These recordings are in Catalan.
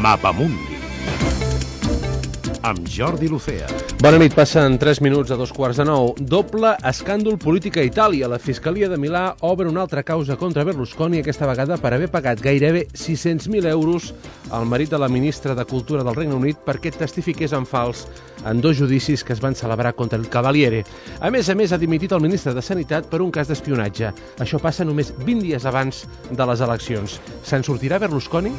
Mapamundi amb Jordi Lucea. Bona nit, passen 3 minuts a 2:15. Doble escàndol polític a Itàlia. La Fiscalia de Milà obre una altra causa contra Berlusconi, aquesta vegada per haver pagat gairebé 600.000 euros al marit de la ministra de Cultura del Regne Unit perquè testifiqués en fals en 2 judicis que es van celebrar contra el Cavaliere. A més, ha dimitit el ministre de Sanitat per un cas d'espionatge. Això passa només 20 dies abans de les eleccions. Se'n sortirà Berlusconi?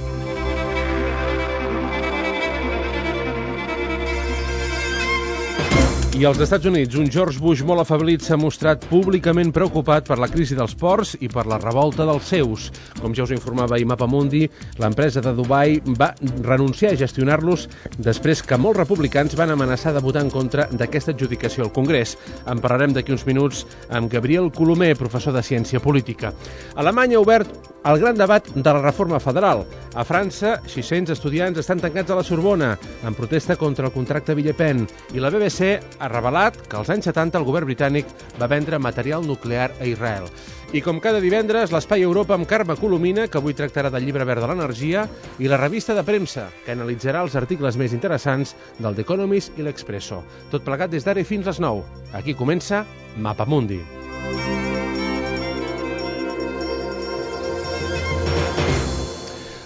I als Estats Units, un George Bush molt afeblit s'ha mostrat públicament preocupat per la crisi dels ports i per la revolta dels seus. Com ja us informava ahir Mapamundi, l'empresa de Dubai va renunciar a gestionar-los després que molts republicans van amenaçar de votar en contra d'aquesta adjudicació al Congrés. En parlarem d'aquí uns minuts amb Gabriel Colomer, professor de Ciència Política. Alemanya ha obert el gran debat de la reforma federal. A França, 600 estudiants estan tancats a la Sorbona en protesta contra el contracte Villepin i la BBC ha revelat que als anys 70 el govern britànic va vendre material nuclear a Israel. I com cada divendres, l'Espai Europa amb Carme Colomina, que avui tractarà del llibre verd de l'energia, i la revista de premsa, que analitzarà els articles més interessants del The Economist i l'Expresso. Tot plegat des d'ara fins les 9. Aquí comença Mapamundi.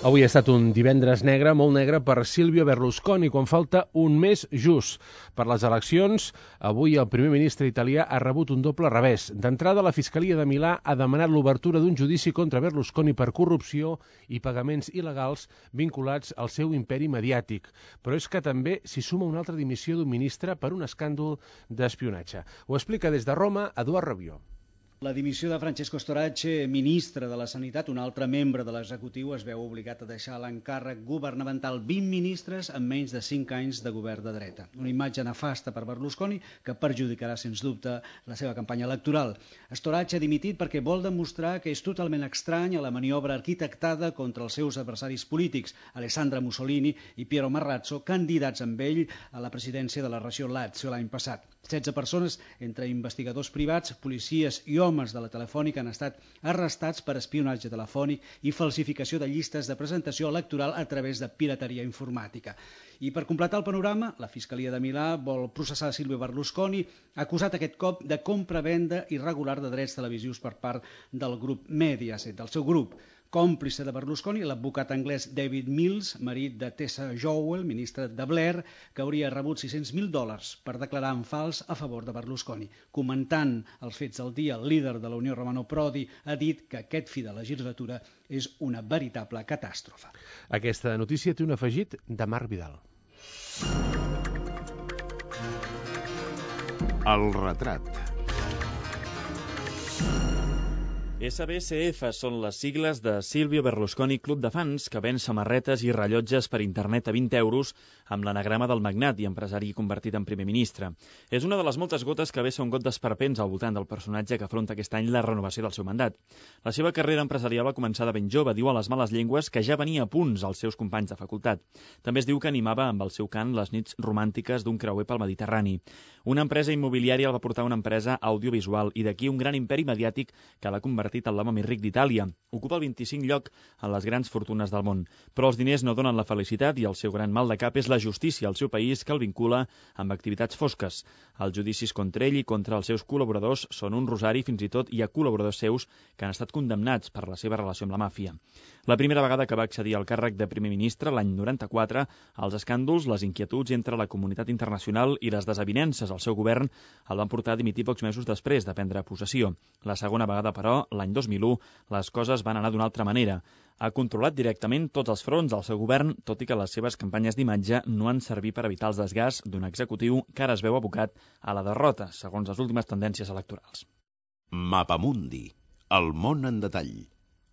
Avui ha estat un divendres negre, molt negre per Silvio Berlusconi, quan falta un mes just per les eleccions. Avui el primer ministre italià ha rebut un doble revés. D'entrada, la Fiscalia de Milà ha demanat l'obertura d'un judici contra Berlusconi per corrupció i pagaments il·legals vinculats al seu imperi mediàtic. Però és que també s'hi suma una altra dimissió d'un ministre per un escàndol d'espionatge. Ho explica des de Roma Eduard Rabió. La dimissió de Francesco Storace, ministre de la Sanitat, un altre membre de l'executiu, es veu obligat a deixar l'encàrrec governamental. 20 ministres en menys de 5 anys de govern de dreta. Una imatge nefasta per Berlusconi que perjudicarà, sens dubte, la seva campanya electoral. Storace ha dimitit perquè vol demostrar que és totalment estrany a la maniobra arquitectada contra els seus adversaris polítics, Alessandra Mussolini i Piero Marrazzo, candidats amb ell a la presidència de la regió Lazio l'any passat. 16 persones, entre investigadors privats, policies i homes de la Telefònica, han estat arrestats per espionatge telefònic i falsificació de llistes de presentació electoral a través de pirateria informàtica. I per completar el panorama, la Fiscalia de Milà vol processar Silvio Berlusconi, acusat aquest cop de compra-venda irregular de drets televisius per part del grup Mediaset, del seu grup. Còmplice de Berlusconi, l'advocat anglès David Mills, marit de Tessa Jowell, ministre de Blair, que hauria rebut $600.000 per declarar en fals a favor de Berlusconi. Comentant els fets del dia, el líder de la Unió Romano Prodi ha dit que aquest fi de legislatura és una veritable catàstrofe. Aquesta notícia té un afegit de Marc Vidal. El retrat. SBSF són les sigles de Silvio Berlusconi Club de Fans, que ven samarretes i rellotges per internet a 20 euros amb l'anagrama del magnat i empresari convertit en primer ministre. És una de les moltes gotes que vessa un got d'esperpents al voltant del personatge que afronta aquest any la renovació del seu mandat. La seva carrera empresarial va començar de ben jove, diu a les males llengües que ja venia a punts als seus companys de facultat. També es diu que animava amb el seu cant les nits romàntiques d'un creuer pel Mediterrani. Una empresa immobiliària el va portar a una empresa audiovisual i d'aquí un gran imperi mediàtic que l'ha convertit en l'home més ric d'Itàlia. Ocupa el 25 lloc en les grans fortunes del món. Però els diners no donen la felicitat i el seu gran mal de cap és la justícia al seu país que el vincula amb activitats fosques. Els judicis contra ell i contra els seus col·laboradors són un rosari, fins i tot hi ha col·laboradors seus que han estat condemnats per la seva relació amb la màfia. La primera vegada que va accedir al càrrec de primer ministre, l'any 94, els escàndols, les inquietuds entre la comunitat internacional i les desavinences al seu govern el van portar a dimitir pocs mesos després de prendre possessió. La segona vegada, però, l'any 2001, les coses van anar d'una altra manera. Ha controlat directament tots els fronts del seu govern, tot i que les seves campanyes d'imatge no han servit per evitar els desgasts d'un executiu que ara es veu abocat a la derrota, segons les últimes tendències electorals. Mapamundi, el món en detall.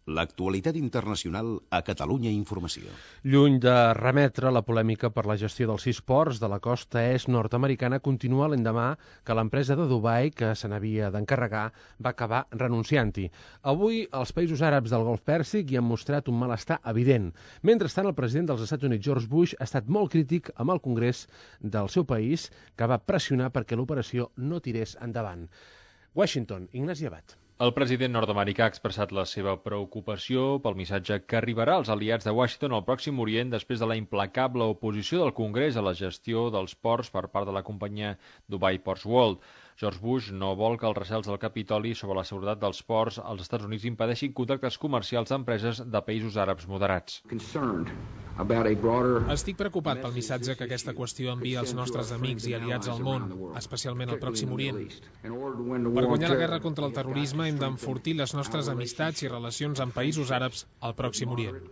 L'actualitat internacional a Catalunya Informació. Lluny de remetre la polèmica per la gestió dels 6 ports de la costa est nord-americana, continua l'endemà que l'empresa de Dubai, que se n'havia d'encarregar, va acabar renunciant-hi. Avui, els països àrabs del Golf Pèrsic hi han mostrat un malestar evident. Mentrestant, el president dels Estats Units, George Bush, ha estat molt crític amb el Congrés del seu país, que va pressionar perquè l'operació no tirés endavant. Washington, Ignasi Abad. El president nord-americà ha expressat la seva preocupació pel missatge que arribarà als aliats de Washington al Pròxim Orient després de la implacable oposició del Congrés a la gestió dels ports per part de la companyia Dubai Ports World. George Bush no vol que els recels del Capitoli sobre la seguretat dels ports als Estats Units impedeixin contractes comercials d'empreses de països àrabs moderats. Estic preocupat pel missatge que aquesta qüestió envia als nostres amics i aliats al món, especialment al Pròxim Orient. Per guanyar la guerra contra el terrorisme hem d'enfortir les nostres amistats i relacions amb països àrabs al Pròxim Orient.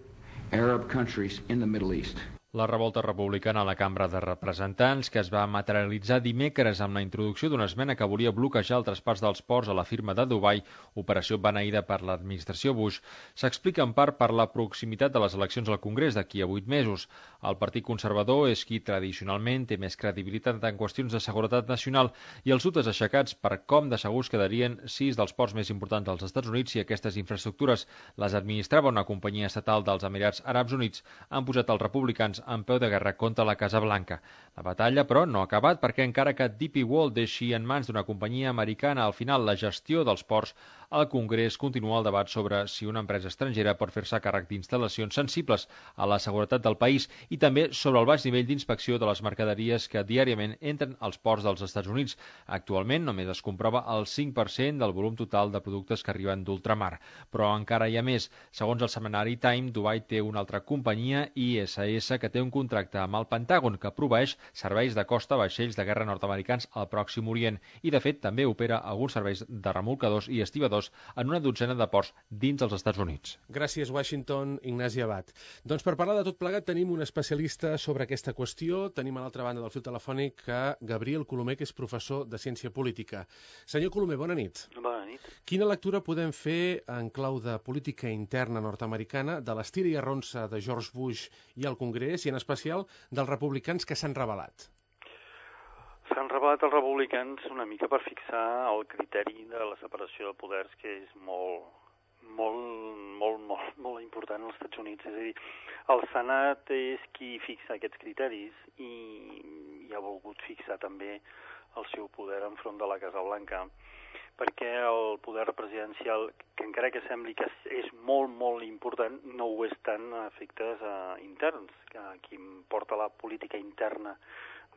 La revolta republicana a la Cambra de Representants, que es va materialitzar dimecres amb la introducció d'una esmena que volia bloquejar el traspàs dels ports a la firma de Dubai, operació beneïda per l'administració Bush, s'explica en part per la proximitat de les eleccions al Congrés d'aquí a 8 mesos. El Partit Conservador és qui tradicionalment té més credibilitat en qüestions de seguretat nacional i els dubtes aixecats per com de segurs quedarien 6 dels ports més importants dels Estats Units si aquestes infraestructures les administrava una companyia estatal dels Emirats Àrabs Units han posat els republicans en peu de guerra contra la Casa Blanca. La batalla, però, no ha acabat perquè encara que DP World deixi en mans d'una companyia americana al final la gestió dels ports, al Congrés continua el debat sobre si una empresa estrangera pot fer-se càrrec d'instal·lacions sensibles a la seguretat del país i també sobre el baix nivell d'inspecció de les mercaderies que diàriament entren als ports dels Estats Units. Actualment només es comprova el 5% del volum total de productes que arriben d'ultramar. Però encara hi ha més. Segons el setmanari Time, Dubai té una altra companyia, ISS, que té un contracte amb el Pentàgon que proveeix serveis de costa a vaixells de guerra nord-americans al Pròxim Orient i, de fet, també opera alguns serveis de remolcadors i estibadors en una dotzena de ports dins dels Estats Units. Gràcies, Washington, Ignasi Abad. Doncs per parlar de tot plegat tenim un especialista sobre aquesta qüestió. Tenim a l'altra banda del fil telefònic Gabriel Colomer, que és professor de Ciència Política. Senyor Colomer, bona nit. Bona nit. Quina lectura podem fer en clau de política interna nord-americana de l'estira i arronsa de George Bush i el Congrés i en especial dels republicans que s'han rebel·lat? S'han rebel·lat els republicans una mica per fixar el criteri de la separació de poders, que és molt important als Estats Units. És a dir, el Senat és qui fixa aquests criteris i ha volgut fixar també el seu poder enfront de la Casa Blanca, perquè el poder presidencial, que encara que sembli que és molt important, no ho és tant a efectes interns, que qui porta la política interna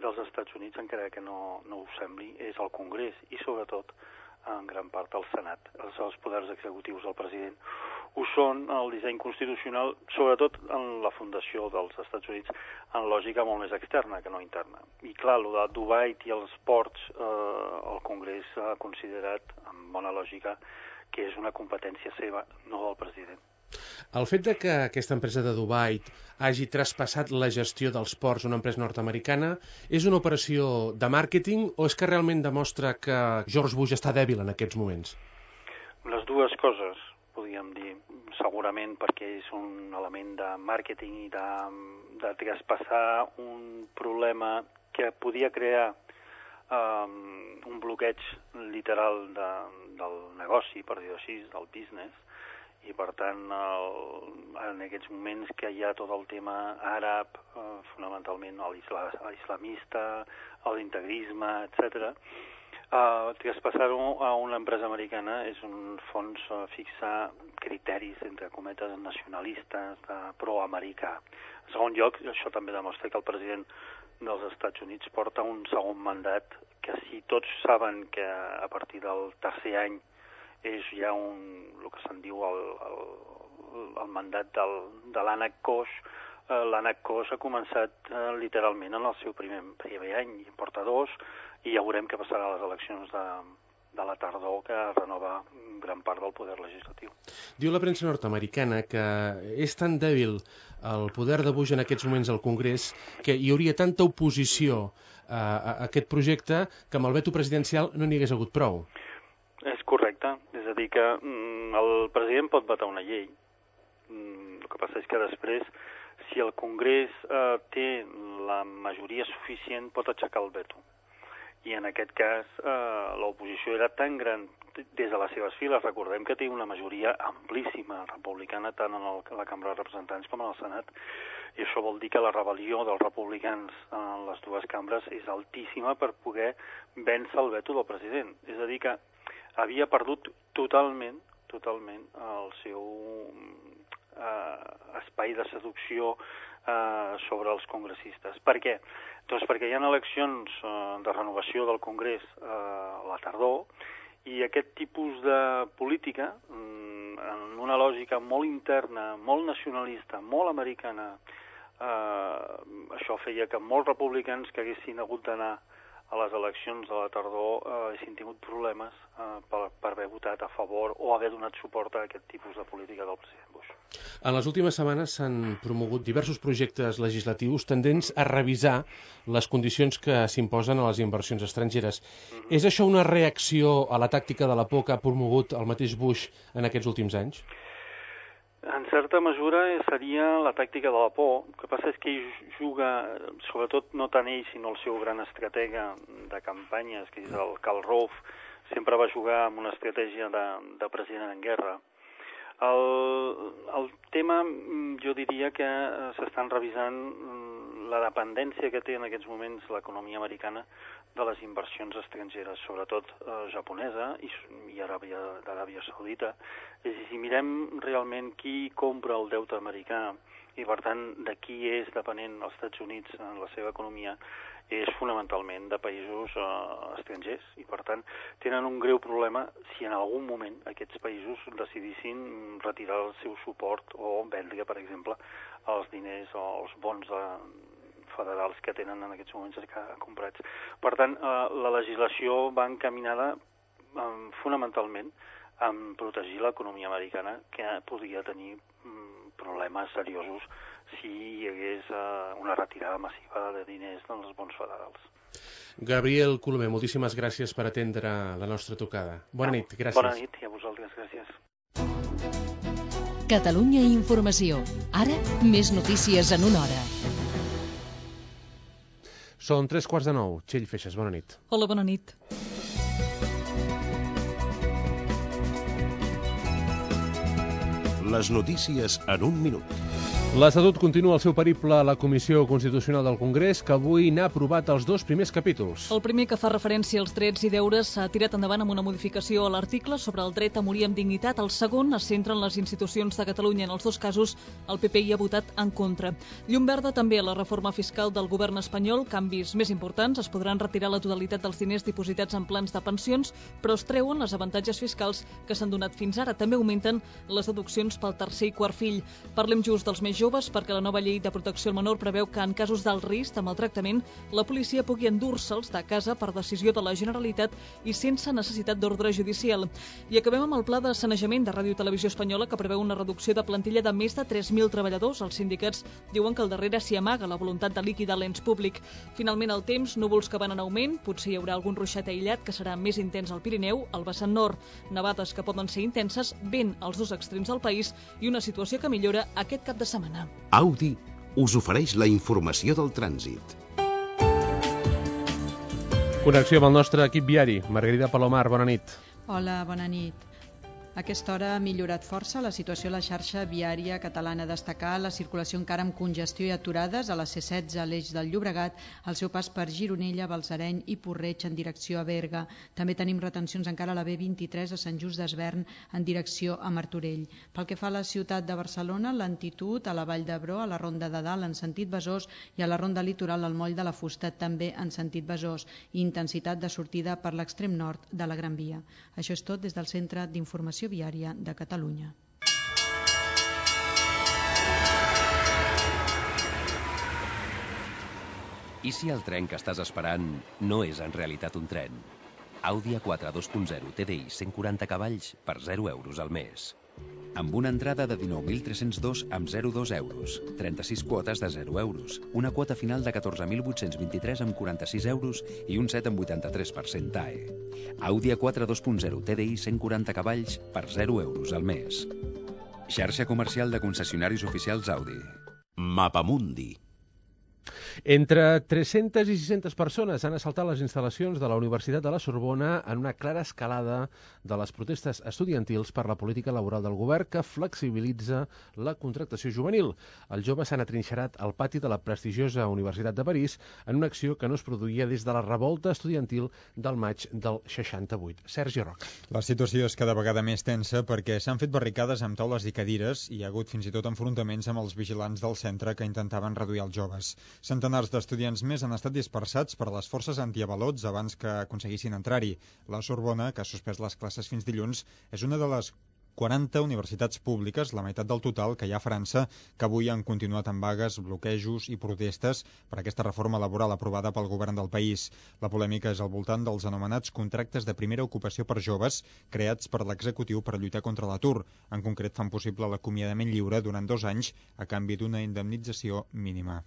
dels Estats Units, encara que no ho sembli, és el Congrés i sobretot en gran part el Senat. Els poders executius del president ho són el disseny constitucional, sobretot en la fundació dels Estats Units, en lògica molt més externa que no interna. I clar, el de Dubai i els ports, el Congrés ha considerat, amb bona lògica, que és una competència seva, no del president. El fet de que aquesta empresa de Dubai hagi traspassat la gestió dels ports a una empresa nord-americana és una operació de màrqueting o és que realment demostra que George Bush està dèbil en aquests moments? Les dues coses, podríem dir, segurament perquè és un element de màrqueting i de traspassar un problema que podia crear un bloqueig literal del negoci, per dir-ho així, del business, i per tant en aquests moments que hi ha tot el tema àrab, fonamentalment l'islamista, l'integrisme, etc., traspassar-ho a una empresa americana és un fons fixar criteris, entre cometes, nacionalistes, pro-americà. En segon lloc, això també demostra que el president dels Estats Units porta un segon mandat que si tots saben que a partir del tercer any és ja el que se'n diu el mandat de l'ànec coix. L'ànec coix ha començat literalment en el seu primer any, i en porta 2, i ja veurem què passarà a les eleccions de la tardor, que renova gran part del poder legislatiu. Diu la premsa nord-americana que és tan dèbil el poder de Bush en aquests moments al Congrés que hi hauria tanta oposició a aquest projecte que amb el veto presidencial no n'hi hagués hagut prou. És correcte, és a dir que el president pot vetar una llei. El que passa és que després, si el Congrés té la majoria suficient, pot aixecar el veto. I en aquest cas l'oposició era tan gran des de les seves files. Recordem que té una majoria amplíssima republicana tant en la Cambra de Representants com en el Senat, i això vol dir que la rebel·lió dels republicans en les dues cambres és altíssima per poder vèncer el veto del president. És a dir que havia perdut totalment el seu espai de seducció sobre els congressistes. Per què? Doncs perquè hi ha eleccions de renovació del Congrés a la tardor i aquest tipus de política, en una lògica molt interna, molt nacionalista, molt americana, això feia que molts republicans que haguessin hagut d'anar a les eleccions de la tardor haguessin tingut problemes per haver votat a favor o haver donat suport a aquest tipus de política del president Bush. En les últimes setmanes s'han promogut diversos projectes legislatius tendents a revisar les condicions que s'imposen a les inversions estrangeres. És això una reacció a la tàctica de la por que ha promogut el mateix Bush en aquests últims anys? En certa mesura seria la tàctica de la por. El que passa és que ell juga, sobretot no tant ell, sinó el seu gran estratega de campanyes, que és el Karl Rove, sempre va jugar amb una estratègia de president en guerra. El tema, jo diria que s'estan revisant la dependència que té en aquests moments l'economia americana de les inversions estrangeres, sobretot japonesa i d'Aràbia Saudita. És a dir, si mirem realment qui compra el deute americà i, per tant, de qui és depenent els Estats Units en la seva economia, és fonamentalment de països estrangers i, per tant, tenen un greu problema si en algun moment aquests països decidissin retirar el seu suport o vendre, per exemple, els diners o els bons federals que tenen en aquests moments comprats. Per tant, la legislació va encaminada fonamentalment a protegir l'economia americana, que podria tenir problemes seriosos si hi hagués una retirada massiva de diners dels bons federals. Gabriel Colomer, moltíssimes gràcies per atendre la nostra trucada. Bona nit, gràcies. Bona nit i a vosaltres, gràcies. Catalunya Informació. Ara, més notícies en una hora. Són 8:45. Txell Feixes, bona nit. Hola, bona nit. Les notícies en un minut. L'Estatut continua el seu periple a la Comissió Constitucional del Congrés, que avui n'ha aprovat els 2 primers capítols. El primer, que fa referència als drets i deures, s'ha tirat endavant amb una modificació a l'article sobre el dret a morir amb dignitat. El segon es centra en les institucions de Catalunya. En els 2 casos, el PP hi ha votat en contra. Llum verda també a la reforma fiscal del govern espanyol. Canvis més importants: es podran retirar la totalitat dels diners dipositats en plans de pensions, però es treuen les avantatges fiscals que s'han donat fins ara. També augmenten les deduccions pel tercer i quart fill. Parlem just dels més joves, perquè la nova llei de protecció al menor preveu que en casos d'alt risc de maltractament la policia pugui endur-se'ls de casa per decisió de la Generalitat i sense necessitat d'ordre judicial. I acabem amb el pla de sanejament de Ràdio i Televisió Espanyola, que preveu una reducció de plantilla de més de 3.000 treballadors. Els sindicats diuen que al darrere s'hi amaga la voluntat de liquidar l'ens públic. Finalment, el temps: núvols que van en augment, potser hi haurà algun ruixat aïllat que serà més intens al Pirineu, al vessant nord, nevades que poden ser intenses, vent als 2 extrems del país i una situació que millora aquest cap de setmana. Audi us ofereix la informació del trànsit. Connexió amb el nostre equip viari. Margarida Palomar, bona nit. Hola, bona nit. A aquesta hora ha millorat força la situació a la xarxa viària catalana. Destacar la circulació encara amb congestió i aturades a la C16 a l'eix del Llobregat, al seu pas per Gironella, Balsareny i Porreig en direcció a Berga. També tenim retencions encara a la B23 a Sant Just d'Esvern en direcció a Martorell. Pel que fa a la ciutat de Barcelona, lentitud a la Vall d'Hebron, a la Ronda de Dalt en sentit Besòs i a la Ronda Litoral al Moll de la Fusta també en sentit Besòs, i intensitat de sortida per l'extrem nord de la Gran Via. Això és tot des del Centre d'Informació Viària de Catalunya. I si el tren que estàs esperant no és en realitat un tren? Audi A4 2.0 TDI 140 cavalls per 0 euros al mes. Amb una entrada de 19.302 amb 0,2 euros, 36 quotes de 0 euros, una quota final de 14.823 amb 46 euros i un 7 amb 83% TAE. Audi A4 2.0 TDI 140 cavalls per 0 euros al mes. Xarxa comercial de concessionaris oficials Audi. Mapamundi. Entre 300 i 600 persones han assaltat les instal·lacions de la Universitat de la Sorbona en una clara escalada de les protestes estudiantils per la política laboral del govern que flexibilitza la contractació juvenil. Els joves s'han atrinxerat al pati de la prestigiosa Universitat de París en una acció que no es produïa des de la revolta estudiantil del maig del 68. Sergi Roca. La situació és cada vegada més tensa perquè s'han fet barricades amb taules i cadires i hi ha hagut fins i tot enfrontaments amb els vigilants del centre que intentaven reduir els joves. Centenars d'estudiants més han estat dispersats per les forces antiavalots abans que aconseguissin entrar-hi. La Sorbona, que ha suspès les classes fins dilluns, és una de les 40 universitats públiques, la meitat del total que hi ha a França, que avui han continuat amb vagues, bloquejos i protestes per aquesta reforma laboral aprovada pel govern del país. La polèmica és al voltant dels anomenats contractes de primera ocupació per joves creats per l'executiu per lluitar contra l'atur. En concret, fan possible l'acomiadament lliure durant 2 anys a canvi d'una indemnització mínima.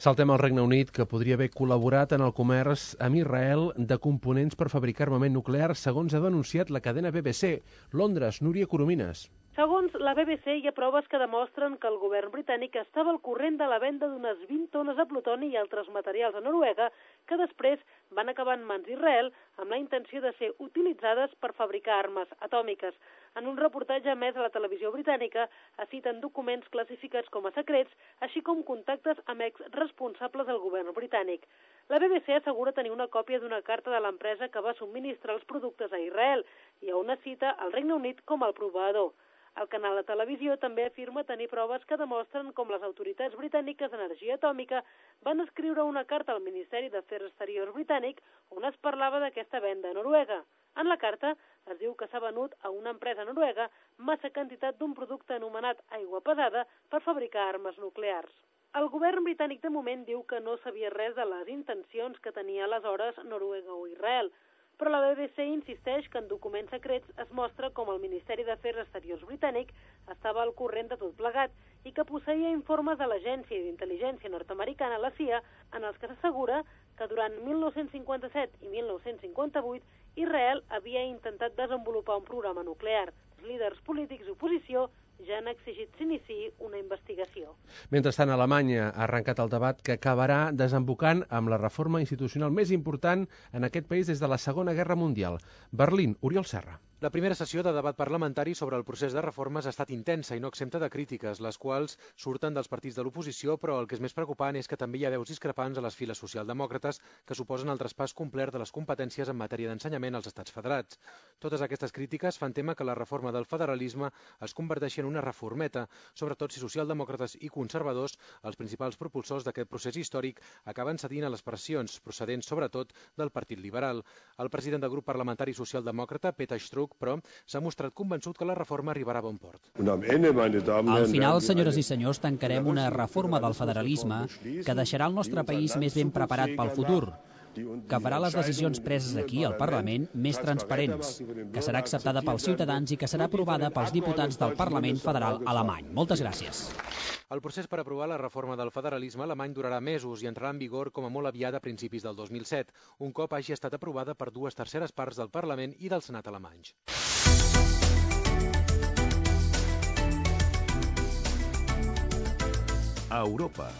Saltem al Regne Unit, que podria haver col·laborat en el comerç amb Israel de components per fabricar armament nuclear, segons ha denunciat la cadena BBC. Londres, Núria Coromines. Segons la BBC, hi ha proves que demostren que el govern britànic estava al corrent de la venda d'unes 20 tones de plutoni i altres materials a Noruega que després van acabar en mans d'Israel amb la intenció de ser utilitzades per fabricar armes atòmiques. En un reportatge emès a la televisió britànica es citen documents classificats com a secrets, així com contactes amb exresponsables del govern britànic. La BBC assegura tenir una còpia d'una carta de l'empresa que va subministrar els productes a Israel i on es cita el Regne Unit com el proveïdor. El canal de televisió també afirma tenir proves que demostren com les autoritats britàniques d'energia atòmica van escriure una carta al Ministeri d'Afers Exteriors britànic on es parlava d'aquesta venda a Noruega. En la carta es diu que s'ha venut a una empresa noruega massa quantitat d'un producte anomenat aigua pesada per fabricar armes nuclears. El govern britànic de moment diu que no sabia res de les intencions que tenia aleshores Noruega o Israel, però la BBC insisteix que en documents secrets es mostra com el Ministeri d'Afers Exteriors britànic estava al corrent de tot plegat i que posseïa informes de l'Agència d'Intel·ligència nord-americana, la CIA, en els que s'assegura que durant 1957 i 1958 Israel havia intentat desenvolupar un programa nuclear. Els líders polítics d'oposició ja han exigit s'iniciï una investigació. Mentrestant, Alemanya ha arrencat el debat que acabarà desembocant amb la reforma institucional més important en aquest país des de la Segona Guerra Mundial. Berlín, Oriol Serra. La primera sessió de debat parlamentari sobre el procés de reformes ha estat intensa i no exempta de crítiques, les quals surten dels partits de l'oposició, però el que és més preocupant és que també hi ha veus discrepants a les files socialdemòcrates que suposen el traspàs complet de les competències en matèria d'ensenyament als estats federats. Totes aquestes crítiques fan tema que la reforma del federalisme es converteixi en una reformeta, sobretot si socialdemòcrates i conservadors, els principals propulsors d'aquest procés històric, acaben cedint a les pressions procedents sobretot del Partit Liberal. El president del grup parlamentari socialdemòcrata, Peter Struck, però s'ha mostrat convençut que la reforma arribarà a bon port. Al final, senyores i senyors, tancarem una reforma del federalisme que deixarà el nostre país més ben preparat pel futur, que farà les decisions preses aquí, al Parlament, més transparents, que serà acceptada pels ciutadans i que serà aprovada pels diputats del Parlament Federal alemany. Moltes gràcies. El procés per aprovar la reforma del federalisme alemany durarà mesos i entrarà en vigor com a molt aviat a principis del 2007, un cop hagi estat aprovada per 2/3 parts del Parlament i del Senat alemanys. A Europa.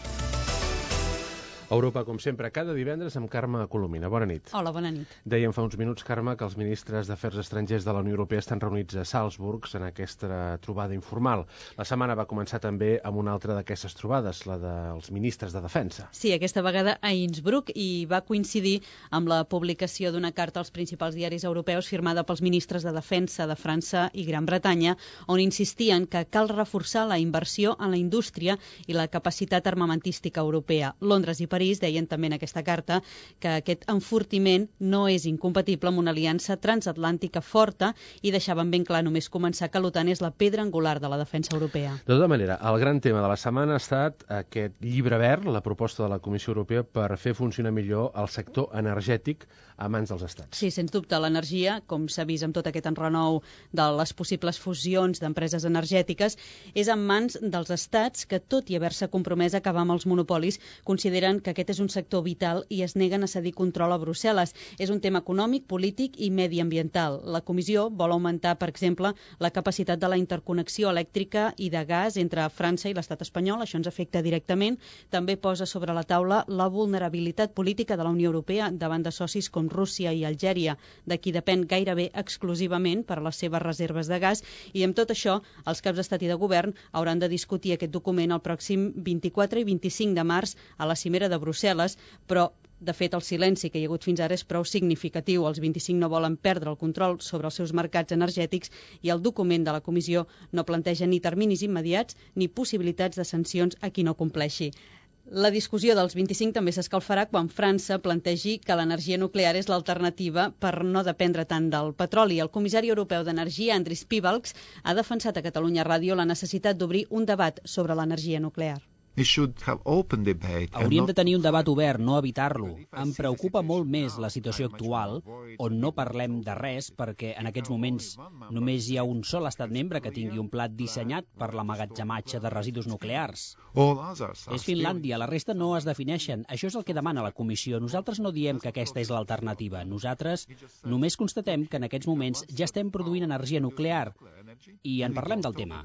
Europa, com sempre, cada divendres amb Carme Colomina. Bona nit. Hola, bona nit. Dèiem fa uns minuts, Carme, que els ministres d'Afers Estrangers de la Unió Europea estan reunits a Salzburg en aquesta trobada informal. La setmana va començar també amb una altra d'aquestes trobades, la dels ministres de Defensa. Sí, aquesta vegada a Innsbruck, i va coincidir amb la publicació d'una carta als principals diaris europeus firmada pels ministres de Defensa de França i Gran Bretanya, on insistien que cal reforçar la inversió en la indústria i la capacitat armamentística europea. Londres i París deien també en aquesta carta que aquest enfortiment no és incompatible amb una aliança transatlàntica forta i deixaven ben clar només començar que l'OTAN és la pedra angular de la defensa europea. De tota manera, el gran tema de la setmana ha estat aquest llibre verd, la proposta de la Comissió Europea per fer funcionar millor el sector energètic a mans dels estats. Sí, sens dubte, l'energia, com s'ha vist amb tot aquest enrenou de les possibles fusions d'empreses energètiques, és en mans dels estats que, tot i haver-se compromès a acabar amb els monopolis, consideren que que aquest és un sector vital i es neguen a cedir control a Brussel·les. És un tema econòmic, polític i mediambiental. La comissió vol augmentar, per exemple, la capacitat de la interconnexió elèctrica i de gas entre França i l'estat espanyol. Això ens afecta directament. També posa sobre la taula la vulnerabilitat política de la Unió Europea davant de socis com Rússia i Algèria, de qui depèn gairebé exclusivament per a les seves reserves de gas. I amb tot això, els caps d'estat i de govern hauran de discutir aquest document el pròxim 24 i 25 de març a la cimera de Brussel·les, però de fet, el silenci que hi ha hagut fins ara és prou significatiu. Els 25 no volen perdre el control sobre els seus mercats energètics i el document de la comissió no planteja ni terminis immediats ni possibilitats de sancions a qui no compleixi. La discussió dels 25 també s'escalfarà quan França plantegi que l'energia nuclear és l'alternativa per no dependre tant del petroli. El comissari europeu d'Energia, Andris Piebalgs, ha defensat a Catalunya Ràdio la necessitat d'obrir un debat sobre l'energia nuclear. Hauríem de tenir un debat obert, no evitar-lo. Em preocupa molt més la situació actual, on no parlem de res, perquè en aquests moments només hi ha un sol estat membre que tingui un pla dissenyat per l'emmagatzematge de residus nuclears. És Finlàndia, la resta no es defineixen. Això és el que demana la Comissió. Nosaltres no diem que aquesta és l'alternativa. Nosaltres només constatem que en aquests moments ja estem produint energia nuclear i en parlem del tema.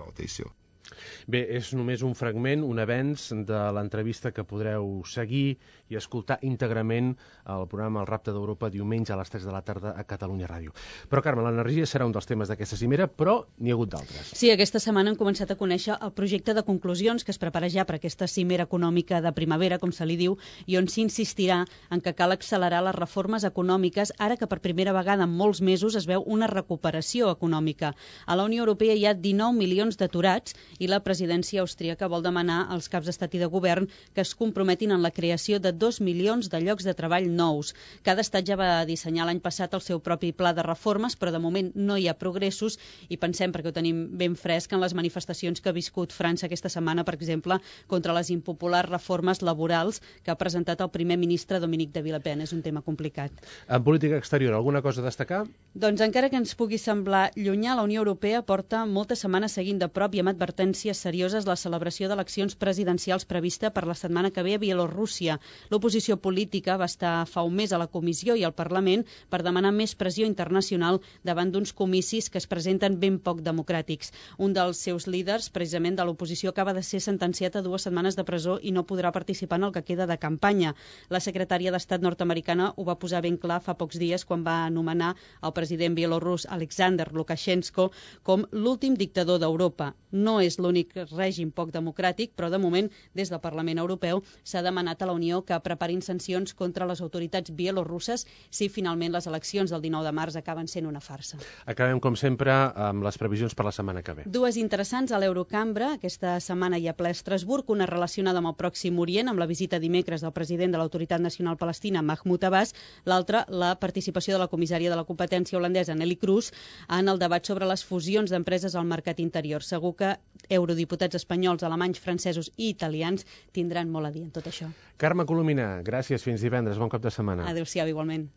Bé, és només un fragment, un avenç de l'entrevista que podreu seguir i escoltar íntegrament al programa El Rapte d'Europa diumenge a les 3 de la tarda a Catalunya Ràdio. Però, Carme, l'energia serà un dels temes d'aquesta cimera, però n'hi ha hagut d'altres. Sí, aquesta setmana hem començat a conèixer el projecte de conclusions que es prepara ja per aquesta cimera econòmica de primavera, com se li diu, i on s'insistirà en que cal accelerar les reformes econòmiques ara que per primera vegada en molts mesos es veu una recuperació econòmica. A la Unió Europea hi ha 19 milions d'aturats i la presidència austríaca vol demanar als caps d'estat i de govern que es comprometin en la creació de 2 milions de llocs de treball nous. Cada estat ja va dissenyar l'any passat el seu propi pla de reformes, però de moment no hi ha progressos i pensem, perquè ho tenim ben fresc, en les manifestacions que ha viscut França aquesta setmana, per exemple, contra les impopulars reformes laborals que ha presentat el primer ministre Dominique de Villepin. És un tema complicat. En política exterior, alguna cosa a destacar? Doncs encara que ens pugui semblar llunyà, la Unió Europea porta moltes setmanes seguint de prop i amb advertències serioses la celebració d'eleccions presidencials prevista per la setmana que ve a Bielorússia. L'oposició política va estar fa un mes a la Comissió i al Parlament per demanar més pressió internacional davant d'uns comicis que es presenten ben poc democràtics. Un dels seus líders, precisament de l'oposició, acaba de ser sentenciat a 2 setmanes de presó i no podrà participar en el que queda de campanya. La secretària d'Estat nord-americana ho va posar ben clar fa pocs dies quan va anomenar el president bielorús Alexander Lukashenko com l'últim dictador d'Europa. No és l'únic règim poc democràtic, però de moment, des del Parlament Europeu, s'ha demanat a la Unió que preparin sancions contra les autoritats bielorusses si finalment les eleccions del 19 de març acaben sent una farsa. Acabem, com sempre, amb les previsions per la setmana que ve. 2 interessants a l'Eurocambra. Aquesta setmana hi ha ple a Estrasburg, una relacionada amb el Pròxim Orient, amb la visita dimecres del president de l'Autoritat Nacional Palestina, Mahmoud Abbas, l'altra, la participació de la comissària de la competència holandesa, Nelly Kroes, en el debat sobre les fusions d'empreses al mercat interior. Segur que eurodiputats espanyols, alemanys, francesos i italians tindran molt a dir en tot això. Carme Colomina, gràcies, fins divendres, bon cap de setmana. Adéu-siau, igualment.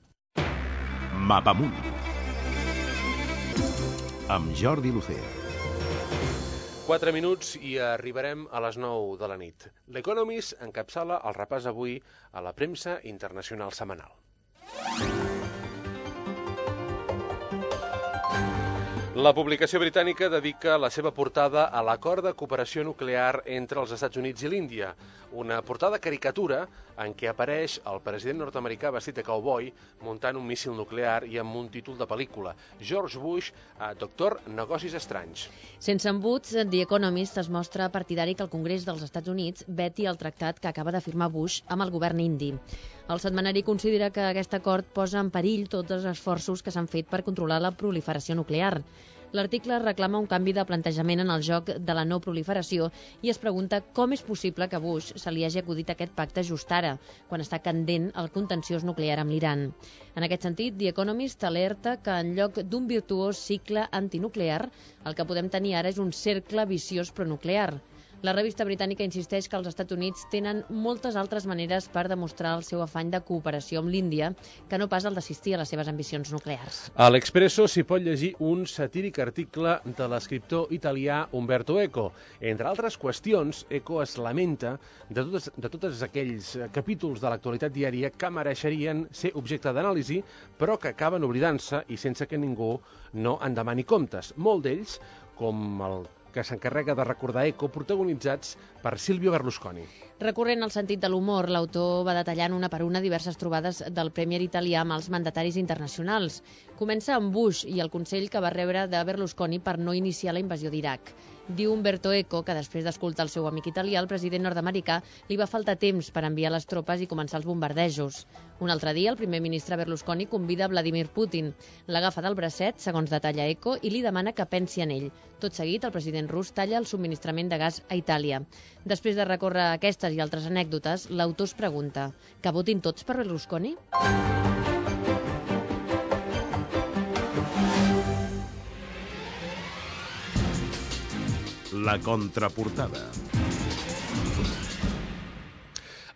Mapamunt amb Jordi Lucea. 4 minuts i arribarem a les 9 de la nit. L'Economist encapçala el repàs avui a la premsa internacional setmanal. La publicació britànica dedica la seva portada a l'acord de cooperació nuclear entre els Estats Units i l'Índia, una portada caricatura en què apareix el president nord-americà vestit de cowboy muntant un míssil nuclear i amb un títol de pel·lícula, George Bush, doctor Negocis Estranys. Sense embuts, The Economist es mostra partidari que el Congrés dels Estats Units veti el tractat que acaba de firmar Bush amb el govern indi. El setmanari considera que aquest acord posa en perill tots els esforços que s'han fet per controlar la proliferació nuclear. L'article reclama un canvi de plantejament en el joc de la no proliferació i es pregunta com és possible que Bush se li hagi acudit aquest pacte just ara, quan està candent el contenciós nuclear amb l'Iran. En aquest sentit, The Economist alerta que en lloc d'un virtuós cicle antinuclear, el que podem tenir ara és un cercle viciós pronuclear. La revista britànica insisteix que els Estats Units tenen moltes altres maneres per demostrar el seu afany de cooperació amb l'Índia, que no pas el d'assistir a les seves ambicions nuclears. A l'Expresso s'hi pot llegir un satíric article de l'escriptor italià Umberto Eco. Entre altres qüestions, Eco es lamenta de tots aquells capítols de l'actualitat diària que mereixerien ser objecte d'anàlisi, però que acaben oblidant-se i sense que ningú no en demani comptes. Molt d'ells, com el que s'encarrega de recordar Eco, protagonitzats per Silvio Berlusconi. Recorrent al sentit de l'humor, l'autor va detallant una per una diverses trobades del Premier italià amb els mandataris internacionals. Comença amb Bush i el consell que va rebre de Berlusconi per no iniciar la invasió d'Iraq. Diu Umberto Eco que després d'escoltar el seu amic italià, el president nord-americà, li va faltar temps per enviar les tropes i començar els bombardejos. Un altre dia, el primer ministre Berlusconi convida Vladimir Putin. L'agafa del bracet, segons detalla Eco, i li demana que pensi en ell. Tot seguit, el president rus talla el subministrament de gas a Itàlia. Després de recórrer aquestes i altres anècdotes, l'autor es pregunta: que votin tots per Berlusconi? La contraportada.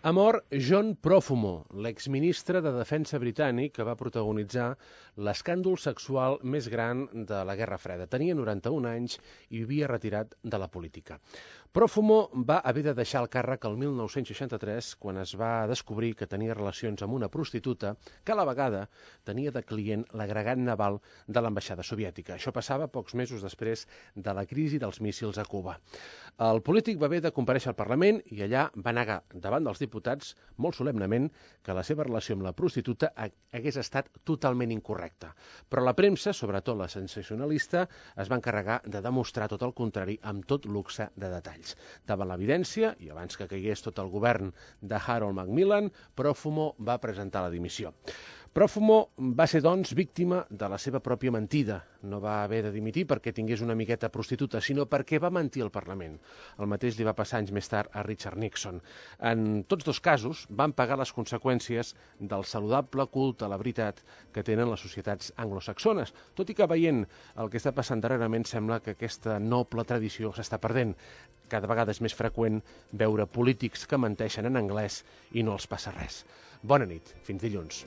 Ha mort John Profumo, l'exministre de Defensa britànic que va protagonitzar l'escàndol sexual més gran de la Guerra Freda. Tenia 91 anys i vivia retirat de la política. Profumo va haver de deixar el càrrec el 1963 quan es va descobrir que tenia relacions amb una prostituta que a la vegada tenia de client l'agregat naval de l'ambaixada soviètica. Això passava pocs mesos després de la crisi dels míssils a Cuba. El polític va haver de comparèixer al Parlament i allà va negar davant dels diputats molt solemnement que la seva relació amb la prostituta hagués estat totalment incorrecta. Però la premsa, sobretot la sensacionalista, es va encarregar de demostrar tot el contrari amb tot luxe de detalls. Davant l'evidència, i abans que caigués tot el govern de Harold Macmillan, Profumo va presentar la dimissió. Profumo va ser, doncs, víctima de la seva pròpia mentida. No va haver de dimitir perquè tingués una amigueta prostituta, sinó perquè va mentir al Parlament. El mateix li va passar anys més tard a Richard Nixon. En tots dos casos van pagar les conseqüències del saludable culte a la veritat que tenen les societats anglosaxones, tot i que veient el que està passant darrerament sembla que aquesta noble tradició s'està perdent. Cada vegada és més freqüent veure polítics que menteixen en anglès i no els passa res. Bona nit, fins dilluns.